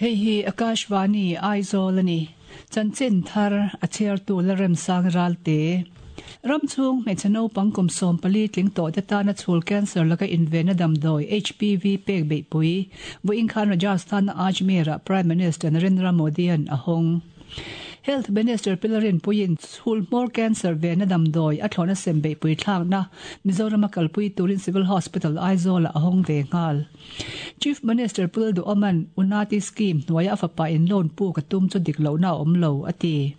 Hei hi Akashvani Aizawl a ni. Chanchin thar a chhiartu Lalremsang Ralte. Ram chhung hmeichhe naupang kum 14 tling tawh te tana chhul cancer laka invenna damdawi HPV pek beihpui vawiin khan Rajasthan-a Ajmer-ah Prime Minister Narendra Modi-a'n a hawng. Health Minister Pilarin puiin chhul hmawr cancer venna damdawi a thlawhna sem beihpui thlakna Mizorama kalpui turin Civil Hospital Aizawl-ah a hawng ve nghal. Chief Minister Pul Duhawman Unnati Scheme hnuaia a fapa in loan puk a tum chu dik lohna a awm lo, a ti.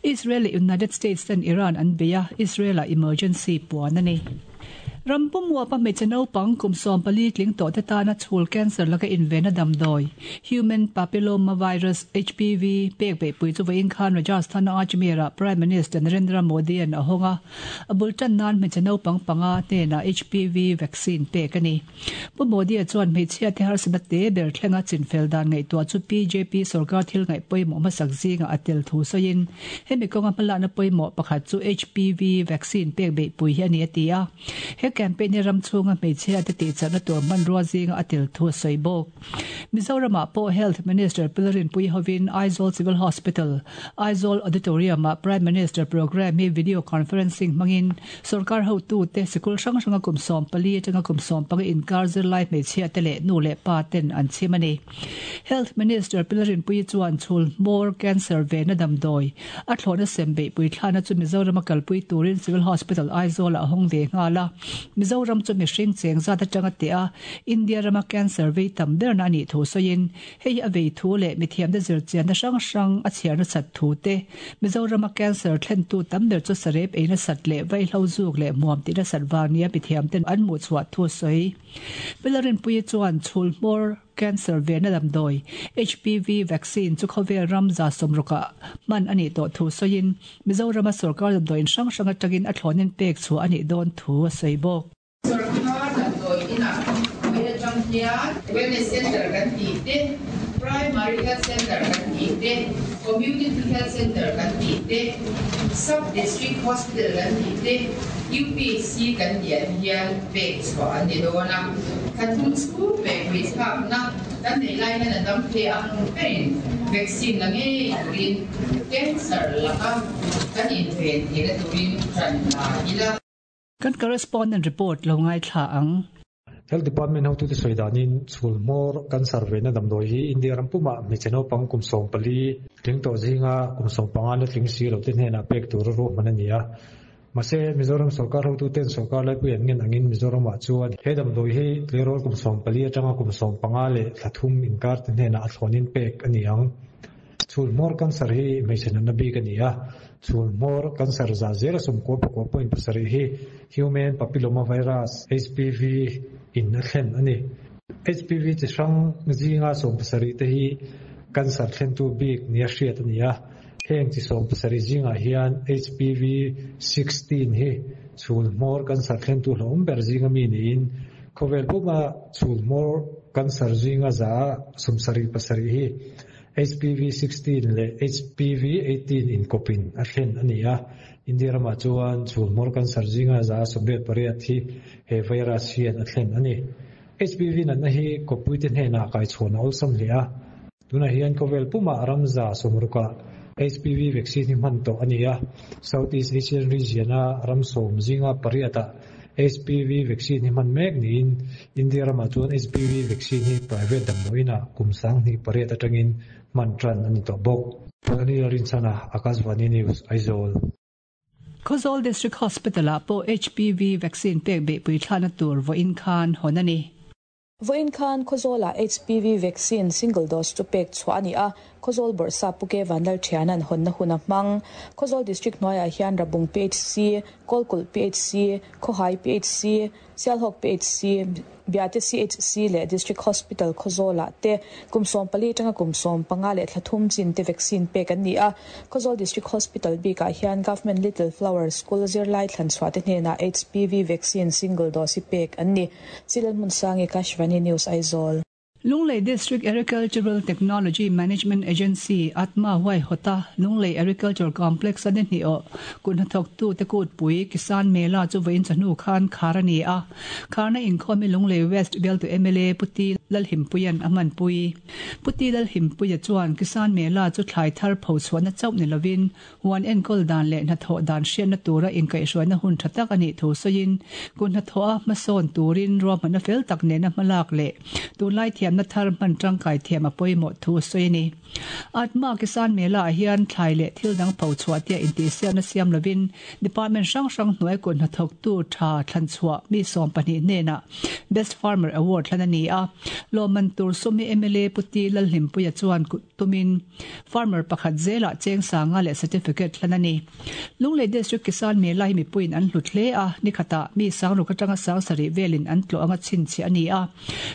Israel leh United States ten Iran an bei a, Israel-ah emergency puan a ni. Ram pummuapa hmeichhe naupang kum 14 tling tawh te tana chhul cancer laka invenna damdawi, Human Papillomavirus, HPV, pek beihpui chu vawiin khan Rajasthan-a Ajmer-ah Prime Minister Narendra Modi-a'n a hawng a, a bul tan nan hmeichhe naupang panga hnenah HPV vaccine pek a ni. Pu Modi-a chuan hmeichhia te harsatna te ber thlenga chinfel dan ngaihtuah chu BJP sorkar thil ngaih pawimawh hmasak zingah a tel thu sawiin, hemi kawnga hmalakna pawimawh pakhat chu HPV vaccine pek beihpui hi a ni a ti a. He campaign hi ram chhunga hmeichhia te tihchakna tur hmanrua zinga a tel thu a sawi bawk. Mizoramah pawh Health Minister Pilarinpui hovin Aizawl Civil Hospital, Aizawl Auditorium-ah Prime Minister programme hi video conferencing hmangin Sorkar hotute sikul hrang hranga kum 14 atanga kum 15 inkar zirlai hmeichhia te leh nu leh pa ten an chhim a ni. Health Minister Pilarinpuii chuan chhul hmawr cancer vehna damdawi a thlawhna sem beihpui thlana chu Mizorama kalpui turin Civil Hospital Aizawl-ah a hawng ve nghal a. Mizoram chu mihring cheng zat atanga teh a, India rama cancer vei tam berna a nih thu sawiin Hei hi a vei thu leh mithiamte zirchianna hrang hrang a chhiar nasat thu te, Mizorama cancer thlentu tam ber chu sarep ei nasat leh vaihlo zuk leh hmuam tih nasat vang nia mithiamten an hmuhchhuah thu a sawi. Pilarinpuii chuan chhul hmawr cancer venna damdawi, HPV vaccine, chu khawvel ram 60ah hman a nih tawh thu sawiin, Mizorama sorkar damdawiin hrang hrang atangin a thlawnin pek chhuah a nih dawn thu a sawi bawk. Sorkar damdawi inah mai atang hian Wellness Center kan tih te, Primary Health Center kan tih te, Community Health Center kan tih te, Sub District Hospital kan tih te, UPHC kan tih ah te hian pek chhuah an ni dawn a. Thla thum chhung pek puithlakna kan neih lai hian a dam thei ang berin vaccine la ngei turin cancer laka kan inven theihna turin ṭan la ila. Kan correspondent report lo ngaithla ang. Health Department hotute sawi danin chhul hmawr cancer vehna damdawi hi India ram pumah hmeichhe naupang kum 14 tling tawh zinga kum 15 la tling si lote hnenah pek tur a ruahman a ni a. Mahse, Mizoram sorkar hotuten sorkar laipui an ngen angin Mizoramah chuan he damdawi hi tleirawl kum 14 atanga kum 15 leh thla thum inkarte hnenah a thlawnin pek a ni ang. Chhul hmawr cancer hi hmeichhe natna bik a ni a, chhul hmawr cancer zah zela 99.7 hi Human Papilloma Virus, HPV, in a thlen a ni. HPV chi hrang zinga 17 te hi cancer thlentu bik nia hriat a ni a, heng chi 17 zingah hian HPV 16 hi chhul hmawr cancer thlentu hlauhawm ber zinga mi niin khawvel puma chhul hmawr cancer zinga 77% hi HPV 16 leh HPV 18 inkawpin a thlen a ni a, India ramah chuan chhul hmawr cancer zinga 88% hi he virus hian a thlen a ni. HPV natna hi kawppuite hnenah kaichhawn a awlsam hle a, tunah hian khawvel pumah ram 60ah HPV vaccine hi hman tawh a ni a, Southeast Asian region-a ram 10 zinga pariatah HPV vaccine hi hman mek niin India ramah chuan HPV vaccine hi private damdawiinah kum 2008 atangin hman tan a ni tawh bawk. Anil Rinchana, Akashvani News, Aizawl. Khawzawl District Hospital-ah pawh HPV vaccine pek beihpui thlahna tur vawiin khan hawn a ni. Vawiin khan Khawzawlah HPV vaccine single dose chu pek chhuah a ni a, Khawzawl Bawrhsap Pu Ke Vanlal Thiana'n hawnna hun a hmang. Khawzawl District hnuaiah hian Rabung PHC, Kawlkulh PHC, Khawhai PHC, Sialhawk PHC, Biate CHC leh District Hospital Khawzawlah te kum 14 atanga kum 15 leh thla thum chin te vaccine pek an ni a. Khawzawl District Hospital bikah hian Government Little Flower School zirlai thlanchhuah te hnenah HPV vaccine single dose hi pek an ni. Chilalhmun Sangi, Kashvani News, Aizawl. Lunglei District Agricultural Technology Management Agency, ATMA, huaihawta Lunglei Agriculture Complex a ni hnih awh kut hnathawktute kutpui Kisan Mela chu vawiin chawhnu khan khar a ni a. Kharna inkhawm hi Lunglei West bialtu mla Pu T Lalhimpuia'n a hmanpui. Pu T Lalhimpuia chuan Kisan Mela chu thlai thar pho chhuahna chauh ni lovin Huan enkawl dan leh hnathawh dan hriatna tura inkaihhruaina hun tha tak a nih thu sawiin, kut hnathawha hmasawn turin ruahmanna fel tak nena hmalak leh tunlai thiamna thar hman tangkai thiam a pawimawh thu a sawi a ni. Atma Kisan Mela ah hian thlai leh thil dang pho chhuah tia intihsiakna siam lovin Department hrang hrang hnuai kut hnathawktu tha thlanchhuah mi 12 hnenah Best Farmer Award thlan a ni a. Lawmman tur sum hi mla Pu T Lalhlimpuia chuan tumin Farmer pakhat zelah cheng sanga leh certificate hlan a ni. Lunglei District Kisan Mela hi mipuiin an hlut hle a, ni khatah mi sangruk atanga sang sarih velin an tlawh anga chhinchhiah a ni a.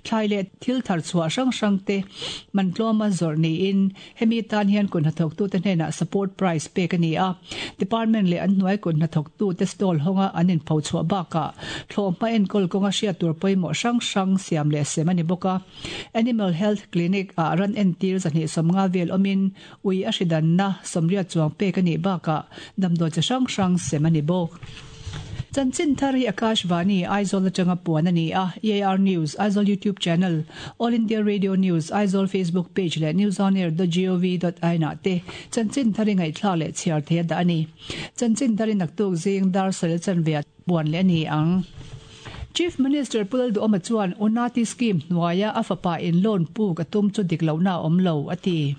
Thlai leh thil thar chhuah hrang hrang te man tlawma zawrh niin hemi tan hian kut hnathawktute hnenah support price pek a ni a. Department leh an hnuai kut hnathawktute stall hawnga an inpho chhuah bakah thlawhhma enkawl kawnga hriat tur pawimawh hrang hrang siam leh sem a ni bawk a. Animal Health Clinic ah ran entir 250 vel awmin ui a hridanna 80 chuang pek a nih bakah damdawi chi hrang hrang sem a ni bawk. Chanchin thar hi Akashvani, Aizawl atanga puan a ni a, EAR News, Aizawl YouTube Channel, All India Radio News, Aizawl Facebook Page leh newsonair.gov.in ah te chanchin thar i ngaihthlak leh chhiar thei a dah a ni. Chanchin thar i naktuk zing dar saril chanve ah puan leh a ni ang. Chief Minister Pu Lalduhawma chuan Unati Scheme hnuaia a fapa in loan puk a tum chu dik lohna a awm lo, a ti.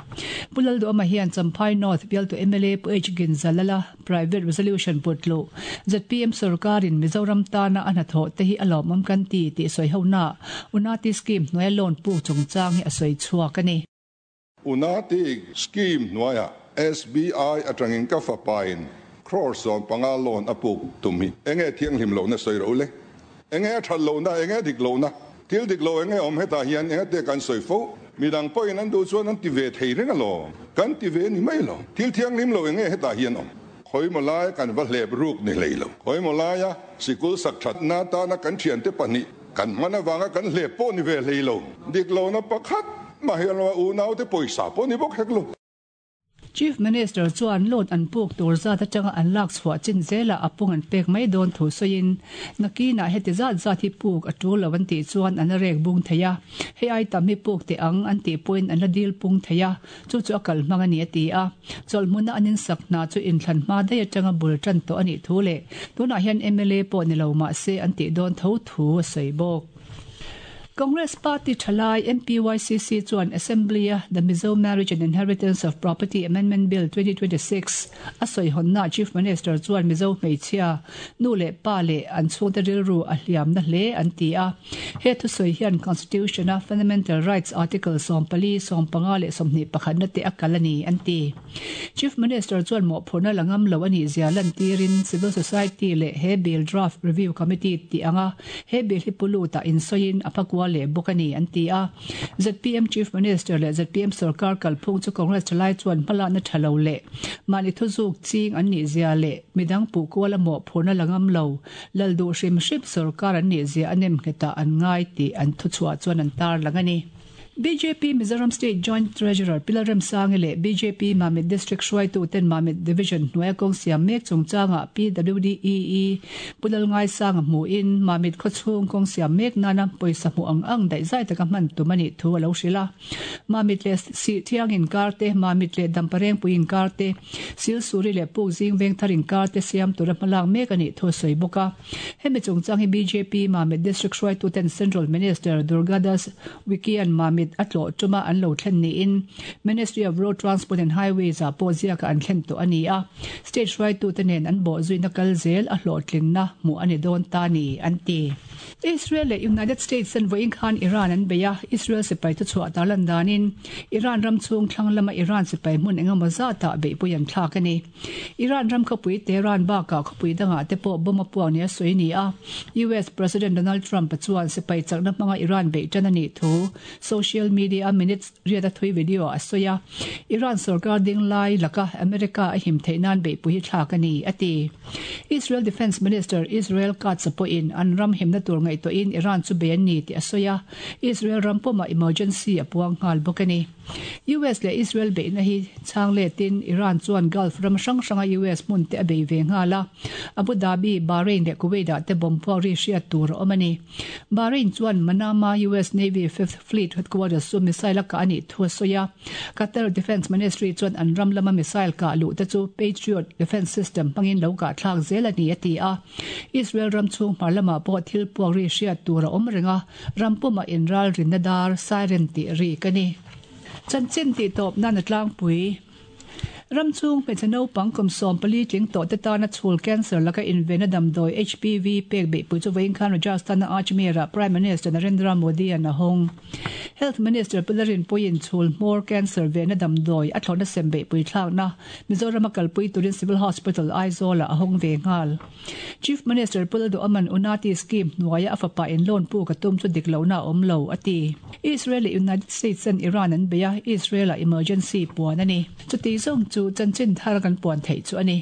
Pu Lalduhawma hian Champhai North bialtu mla Pu H Ginzalala private resolution put luh zpm sorkarin Mizoram tana a hnathawh te hi a lawmawm kan ti tih sawi honaah Unati Scheme hnuaia loan puk chungchang hi a sawi chhuak a ni. Unati Scheme hnuaiah SBI atangin ka fapain crore 15 loan a puk tum hi enge thianghlim lohna sawi ro le? Enge a that lohna, enge dik lohna? Thil dik lo enge awm hetah hian enge te kan sawi fo? Midang pawhin an duh chuan an ti ve thei reng alawm. Kan ti ve ni mai lo. Thil thianghlim lo enge hetah hian awm? Khawimaw laia kan va hlep ruk ni hlei lo. Khawimaw laia sikul sak thatna atana kan thiante pahnih kan hman avanga kan hlep pawh ni ve hlei lo. Dik lohna pakhat mah hi an lo a, unaute pawisa pawh ni bawk hek lo. Chief Minister chuan loan an puk tur zat atanga an lak chhuah chin zelah a pung an pek mai dawn thu sawiin, nakinah heti zat zat hi puk a tul lo an tih chuan an la rek bung thei a, hei ai tam hi puk teh ang an tih pawhin an la dil pung thei a, Chu chu a kal hmang a ni a ti a. Chawlhhmuna an insak hna chu inthlan hma daih atanga bul tan tawh a nih thu leh tunah hian mla pawh ni lo mah se an tih dawn tho thu a sawi bawk. Congress Party thalai MPYCC chuan Assembly-a The Mizo Marriage and Inheritance of Property Amendment Bill 2026 a sawi hawnnaah Chief Minister chuan Mizo hmeichhia nu leh pa leh an chhungte rilru a hliamna hle an ti a. He thusawi hian Constitution-a Fundamental Rights Article 14, 15 leh 21 na te a kal a ni, an ti. Chief Minister chuan mawhphurhna la ngam lo a nih zia lantirin Civil Society leh he Bill Draft Review Committee tih anga he bill hi pu lutah insawiin a phakual leh bawk a ni, an ti a. Zpm Chief Minister leh zpm sorkar kalphung chu Congress thalai chuan hmalakna tha lo leh mahni thuzuk ching an nih zia leh midang puh kuala mawhphurhna la ngam lo Lal duh hrim hrim sorkar an nih zia a nem nghetah an ngai tih an thuchhuah chuan an tarlang a ni. Bjp Mizoram State Joint Treasurer Pi Lalremsangi leh bjp Mamit District hruaitu ten Mamit Division hnuaia kawng siam mek chungchangah PWDEE Pu Lalngaisanga hmuhin Mamit khawchhung kawng siam mek nana pawisa hmuh ang ang daihzai taka hman tum a nih thu a lo hrilh a. Mamit leh Sihthiang inkar te, Mamit leh Damparengpui inkar te, Silsuri leh Pukzing Vengthar inkar te siam tura hmalak mek a nih thu a sawi bawk a. Hemi chungchang hi bjp Mamit District hruaituten Central Minister Durgadas Wikian Mamit a tlawh tuma an lo thlen niin Ministry of Road Transport and Highways ah pawh ziaka an thlen tawh a ni a. State hruaitute nen an bawhzuina kal zel a hlawhtlinna hmuh a ni dawn ta ni, an ti. Israel leh United States ten vawiin khan Iran an bei a, Israel sipai thuchhuah tarlan danin Iran ram chhung thlang lama Iran sipai hmun engemaw zatah beihpui an thlak a ni. Iran ram khawpui Tehran bakah khawpui dangah te pawh bomb a puak nia sawi a ni a. US President Donald Trump-a chuan sipai chakna hmanga Iran beih tan a nih thu social. social media-a minute riat a thui video a sawi a, Iran sorkar ding lai laka America a him theih nan beihpui hi thlak a ni, a ti. Israel Defence Minister Israel Katz pawhin an ram himna tur ngaihtuahin Iran chu bei an ni tih a sawi a, Israel ram pawmah emergency a puang nghal bawk a ni. US leh Israel beihna hi chhang letin Iran chuan Gulf ram hrang hranga US hmun te a bei ve nghal a, Abu Dhabi, Bahrain leh Kuwait ah te bomb puak ri hriat tur a awm a ni. Bahrain chuan Manama US Navy Fifth Fleet headquarters chu missile a kah a nih thu a sawi a, Qatar Defence Ministry chuan an ram lama missile kah luh te chu Patriot defence system hmangin lo kah thlak zel a ni a ti a. Israel ram chhung hmar lamah pawh thil puak ri hriat tur a awm reng a, ram pumah inralrinna dar siren tih rik a ni. Chanchin tih tawp nan a tlangpui. Ram chhung hmeichhe naupang kum 14 tling tawh te tana chhul cancer laka invenna damdawi HPV pek beihpui chu vawiin khan Rajasthan-a Ajmer-ah Prime Minister Narendra Modi-a'n a hawng. Health Minister Pu Larinpuiin chhul hmawr cancer venna damdawi a thlawhna sem beihpui thlakna Mizoram-a kalpui turin Civil Hospital Aizawl-ah a hawng ve nghal. Chief Minister Pu Lalduhaman Unati Scheme hnuaia a fapa in loan puk a tum chu dik lohna a awm lo, a ti. Israel leh United States ten Iran an bei a, Israel-ah emergency puan a ni. Chuti zawng chu chanchin thar kan puan theih chu a ni.